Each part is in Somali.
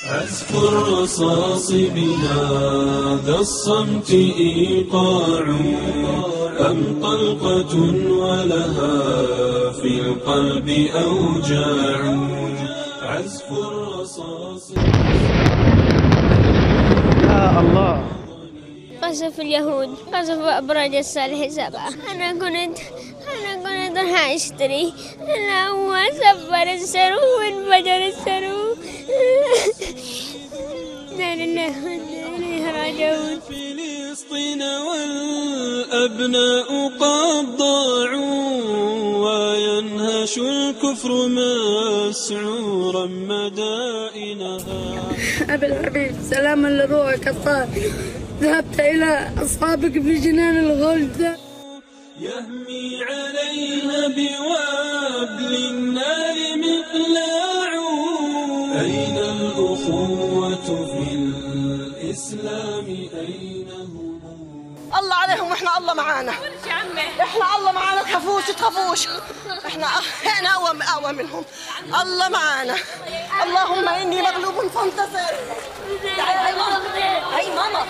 عزف الرصاص بهذا الصمت إيقاع أم طلقة ولها في القلب أوجاع عزف الرصاص. يا الله، قصف اليهود، قصف أبراج الصالح 7. أنا كنت راح أشتري، أنا هو سفر السرو وانفجر السرو. لا لله وإنا إليه راجعون. فلسطين والأبناء قد ضاعوا وينهش الكفر مسعورا مدائنها. أبي الحبيب، سلاما لروحك الطاهر، ذهبت إلى أصحابك في جنان الغلد. يهمي عليها بوابل النار مقلاع. أين الأخوة في الإسلام أين هم؟ الله عليهم واحنا الله معانا، احنا الله معانا، تخافوش تخافوش، احنا اقوى منهم، الله معانا. اللهم اني مغلوب فانتصر. تعالي هاي ماما، هاي ماما،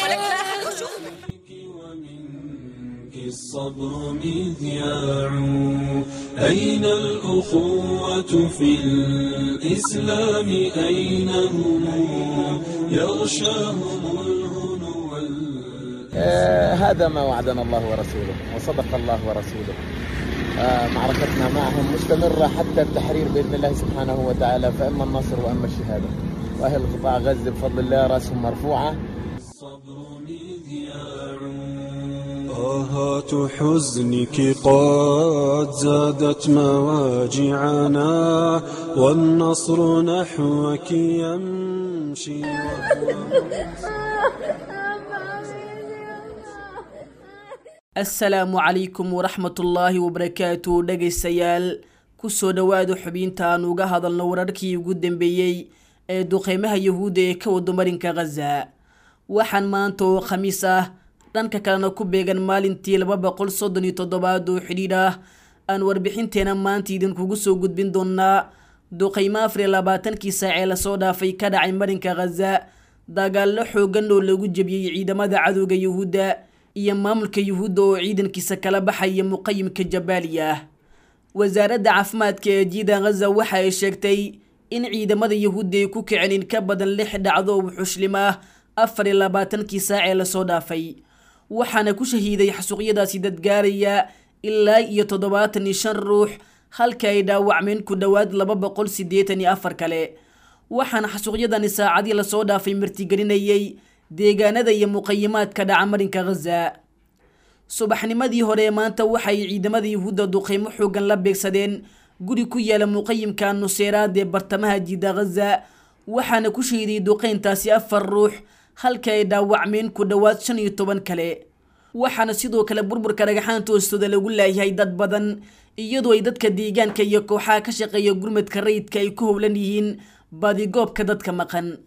ولك لا احد يشوفك. ومنك الصبر مذياع. أين الأخوة في الإسلام أين هم؟ يغشاهم الهنو. هذا ما وعدنا الله ورسوله وصدق الله ورسوله. معركتنا معهم مستمرة حتى التحرير بإذن الله سبحانه وتعالى، فإما النصر وإما الشهادة. وأهل قطاع غزة بفضل الله رأسهم مرفوعة. الصبر مذياع. آهات حزنك قد زادت مواجعنا والنصر نحوك يمشي. Asalaamu calaykum waraxmatullaahi wabarakaatu. Dhegaystayaal, kusoo dhowaada xubinta aan uga hadalno wararkii ugu dambeeyey ee duqeymaha Yahuudda ee ka wado marinka Ghaza. Waxaan maanta oo Khamiis ah, dhanka kalena ku beegan maalintii 237aad oo xidhiidh ah, aan warbixinteena maanta idinkugu soo gudbin doonaa duqeymo 24kii saac ee lasoo dhaafay ka dhacay marinka Ghaza, dagaallo xoogan oo lagu jebiyey ciidamada cadowga Yahuudda iyo maamulka Yuhuudda oo ciidankiisa kala baxaya muqayimka Jabaaliya. Wasaaradda caafimaadka ee jiida Ghaza waxa ay sheegtay in ciidamada Yuhuudda ay ku kiceen in ka badan 6 dhacdo oo wuxuushlim ah 24kii saac ee lasoo dhaafay, waxaana ku shahiiday xasuuqyadaasi dad gaaraya ilaa iyo 75 ruux, halka ay dhaawacmeen ku dhowaad 284 kale. Waxaana xasuuqyadani saacadii lasoo dhaafay martigelinayay deegaanada iyo muqayimaadka dhaca marinka Ghaza. Subaxnimadii hore maanta waxay ciidamada Yuhuudda duqeymo xoogan la beegsadeen guri ku yaala muqayimka Nuseyraad ee bartamaha jiida Ghaza, waxaana ku shahiiday duqeyntaasi 4 ruux, halka ay dhaawacmeen ku dhowaad 15 kale. Waxaana sidoo kale burburka dhagaxaanta hoostooda lagu laayahay dad badan, iyadoo ay dadka deegaanka iyo kooxaha ka shaqeeya gurmadka rayidka ay ku howlan yihiin baadigoobka dadka maqan.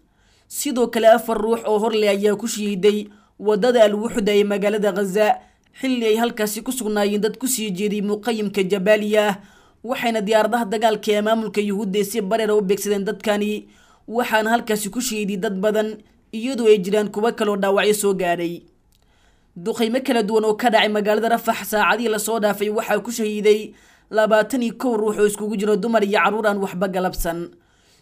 Sidoo kale 4 ruux oo horleh ayaa ku shahiiday wadada Al-Wuxda ee magaalada Ghaza, xilli ay halkaasi ku sugnaayeen dad kusii jeeday muqayimka Jabaaliya, waxayna diyaaradaha dagaalka ee maamulka Yuhuudda si bareer u beegsadeen dadkani, waxaana halkaasi ku shahiiday dad badan, iyadoo ay jiraan kuwo kaloo dhaawacyo soo gaadhay. Duqeymo kala duwan oo ka dhacay magaalada Rafax saacadihii lasoo dhaafay waxaa ku shahiiday 21 ruux oo iskugu jiro dumar iyo carruur aan waxba galabsan.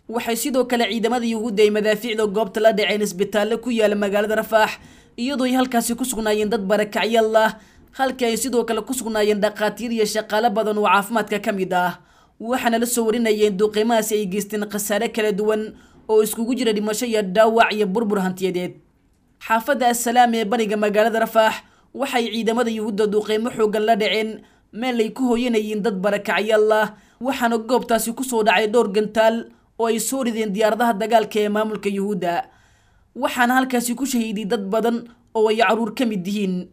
Waxay sidoo kale ciidamada Yuhuudda ay madaafiicda goobta la dhaceen isbitaallo ku yaala magaalada Rafax, iyadoo ay halkaasi ku sugnaayeen dad barakacyaal ah, halka ay sidoo kale ku sugnaayeen dhaqaatiir iyo shaqaale badan oo caafimaadka ka mid ah. Waxaana la soo warinayeen duqeymahaasi ay geysteen khasaare kala duwan oo iskugu jira dhimasho iyo dhaawac iyo burbur hantiyadeed. Xaafadda Assalaam ee bariga magaalada Rafax waxay ciidamada Yuhuudda duqeymo xoogan la dhaceen meel ay ku hooyanayeen dad barakacyaal ah, waxaana goobtaasi kusoo dhacay dhowr gantaal oo ay soo rideen diyaaradaha dagaalka ee maamulka Yuhuudda, waxaana halkaasi ku shahiiday dad badan oo ay caruur ka mid yihiin.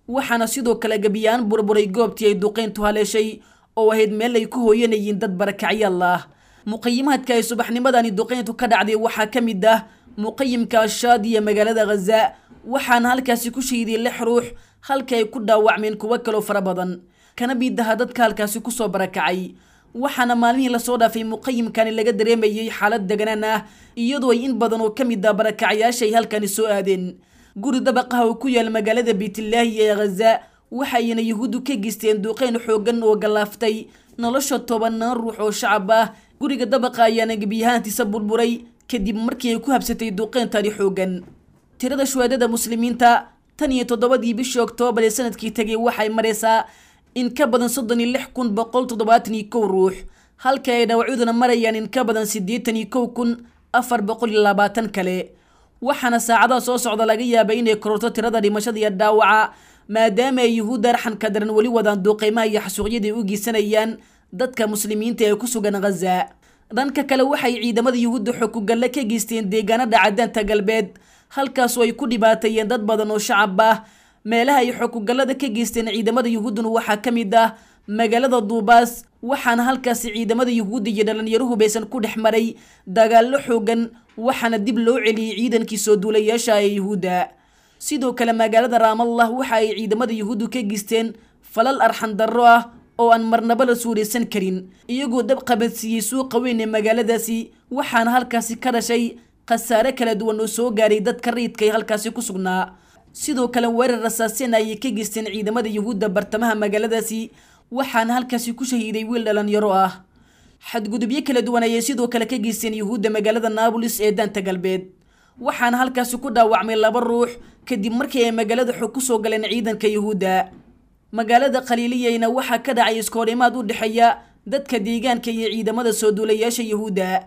Waxaana sidoo kale gabiyaan burburay goobtii ay duqeyntu haleeshay oo ahayd meel ay ku hooyanayeen dad barakacyaal ah. Muqayimaadka ay subaxnimadani duqeyntu ka dhacday waxaa ka mid ah muqayimka Ashaadi ee magaalada Ghaza, waxaana halkaasi ku shahiiday 6 ruux, halka ay ku dhaawacmeen kuwo kaloo fara badan, kana mid aha dadka halkaasi kusoo barakacay. Waxaana maalmihii lasoo dhaafay muqayimkani laga dareemayay xaalad deganaan ah, iyadoo ay in badan oo ka mid ah barakacayaasha ay halkani soo aadeen. Guri dabaqaha oo ku yaal magaalada Beytlaahi ee Ghaza waxayna Yuhuuddu ka geysteen duqeyn xooggan oo galaaftay nolosha 10 ruux oo shacab ah. Guriga dabaqa ayaana gebiyahaantiisa burburay kadib markii ay ku habsatay duqeyntani xooggan. Tirada shuhadada muslimiinta tan iyo 7dii bishii Oktoobar ee sanadkii tegay waxay maraysaa in ka badan 36,171 ruux, halka ay dhaawacyaduna marayaan in ka badan 81,420 kale. Waxaana saacadaha soo socda laga yaabay inay kororto tirada dhimashada iyo dhaawaca, maadaama ay Yuhuudda arxanka daran weli wadaan duqeymaha iyo xasuuqyada ay u geysanayaan dadka muslimiinta ee ku sugan Ghaza. Dhanka kale waxay ciidamada Yuhuudda xog-ku-galle ka geysteen deegaanada Cadaanta Galbeed, halkaasoo ay ku dhibaateeyeen dad badan oo shacab ah. Meelaha ay xog-ku-gallada ka geysteen ciidamada Yuhuudduna waxaa ka mid ah magaalada Duubaas, waxaana halkaasi ciidamada Yuhuudda iyo dhalinyaruhu baysan ku dhex maray dagaallo xooggan, waxaana dib loo celiyey ciidankii soo duulayaasha ee Yuhuudda. Sidoo kale magaalada Raamallah waxa ay ciidamada Yuhuuddu ka geysteen falal arxan darro ah oo aan marnaba la suuraysan karin, iyagoo dab qabadsiiyey suuqa weyn ee magaaladaasi, waxaana halkaasi ka dhashay khasaare kala duwan oo soo gaaray dadka rayidka ee halkaasi ku sugnaa. Sidoo kale weerar rasaaseen ayay ka geysteen ciidamada Yuhuudda bartamaha magaaladaasi, waxaana halkaasi ku shahiiday wiil dhalinyaro ah. Xadgudubyo kala duwan ayay sidoo kale ka geysteen Yuhuudda magaalada Naabulis ee Daanta Galbeed, waxaana halkaasi ku dhaawacmay 2 ruux kadib markii ay magaalada xog ku soo galeen ciidanka Yuhuudda. Magaalada Khaliiliyeyna waxaa ka dhacay iskoorimaad u dhexeeya dadka deegaanka iyo ciidamada soo duulayaasha Yuhuudda.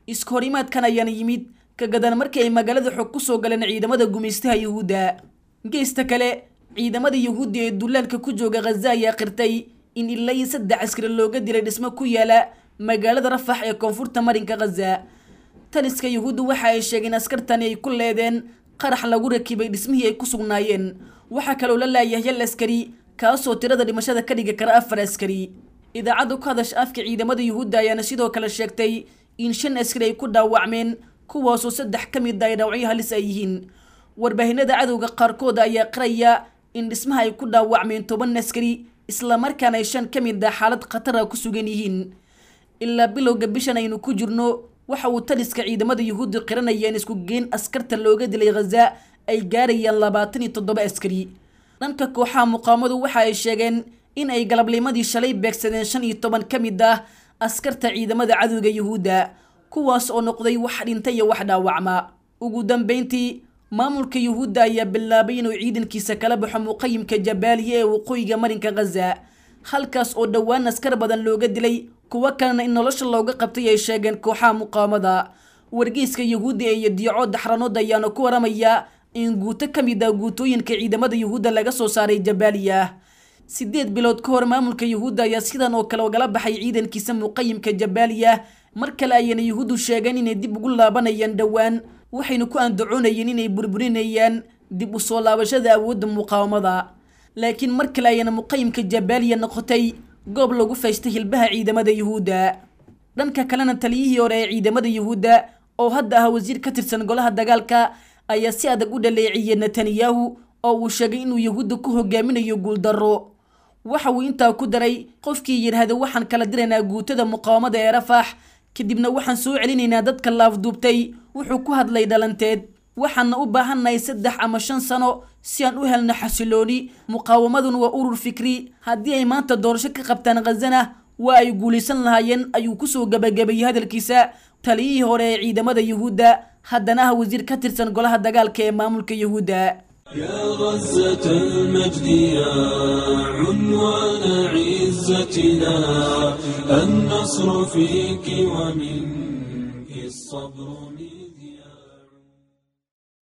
Iskoorimaadkan ayaana yimid ka gadan markii ay magaalada xog ku soo galeen ciidamada gumaystaha Yuhuudda. Geesta kale ciidamada Yuhuudda ee duulaalka ku jooga Ghaza ayaa qirtay in ilaa iyo 3 askari looga dilay dhismo ku yaala magaalada Rafax ee koonfurta marinka Ghaza. Taliska Yuhuuddu waxa ay sheegeen askartani ay ku leedeen qarax lagu rakibay dhismihii ay ku sugnaayeen. Waxaa kaloo la laayahay hal askari, kaasoo tirada dhimashada ka dhigi kara 4 askari. Idaacadda ku hadasha afka ciidamada Yuhuudda ayaana sidoo kale sheegtay in 5 askari ay ku dhaawacmeen, kuwaasoo 3 ka mid ah ay dhaawacyo halis ay yihiin. Warbaahinada cadowga qaarkood ayaa qiraya in dhismaha ay ku dhaawacmeen 10 askari, islamarkaana ay 5 ka mid ah xaalad khatar ah ku sugan yihiin. Ilaa bilowga bishan aynu ku jirno waxa uu taliska ciidamada Yuhuudda qiranaya in isku geyn askarta looga dilay Ghaza ay gaarayaan 27 askari. Dhanka kooxaha muqaawamadu waxa ay sheegeen in ay galabnimadii shalay beegsadeen 15 ka mid ah askarta ciidamada cadowga Yuhuudda, kuwaas oo noqday wax dhintay iyo wax dhaawacma. Ugu dambeyntii maamulka Yuhuudda ayaa bilaabay inuu ciidankiisa kala baxo muqayimka Jabaaliya ee waqooyiga marinka Ghaza, halkaas oo dhowaan askar badan looga dilay, kuwa kalena in nolosha looga qabtay ay sheegeen kooxaha muqaawamada. Wargeyska Yuhuudda ee Yediico Daxranood ayaana ku waramaya in guuto ka mid ah guutooyinka ciidamada Yuhuudda laga soo saaray Jabaaliya. 8 bilood ka hor maamulka Yuhuudda ayaa sidan oo kale ogala baxay ciidankiisa muqayimka Jabaaliya. Mar kale ayayna Yuhuuddu sheegeen inay dib ugu laabanayaan dhowaan, waxayna ku andacoonayeen inay burburinayaan dib u soo laabashada awoodda muqaawamada. Laakiin mar kale ayayna muqayimka Jabaaliya noqotay goob lagu faystay hilbaha ciidamada Yuhuudda. Dhanka kalena taliyihii hore ee ciidamada Yuhuudda oo hadda ah wasiir ka tirsan golaha dagaalka ayaa si adag u dhaleeceeyay Netanyahu oo uu sheegay inuu Yuhuudda ku hogaaminayo guuldarro. Waxa uu intaa ku daray qofkii yiraahdo waxaan kala diraynaa guutada muqaawamada ee Rafax, kadibna waxaan soo celinaynaa dadka laafduubtay, wuxuu ku hadlay dhalanteed. Waxaana u baahannahay 3 ama 5 sano si aan u helno xasilooni. Muqaawamaduna waa urur fikri, haddii ay maanta doorasho ka qabtaan Ghazana waa ay guulaysan lahaayeen, ayuu kusoo gabagabeeyey hadalkiisa taliyihii hore ee ciidamada Yuhuudda, haddana ah wasiir ka tirsan golaha dagaalka ee maamulka Yuhuudda. يا غزة المجد يا عنوان عزتنا، النصر فيك ومنك الصبر مذياع.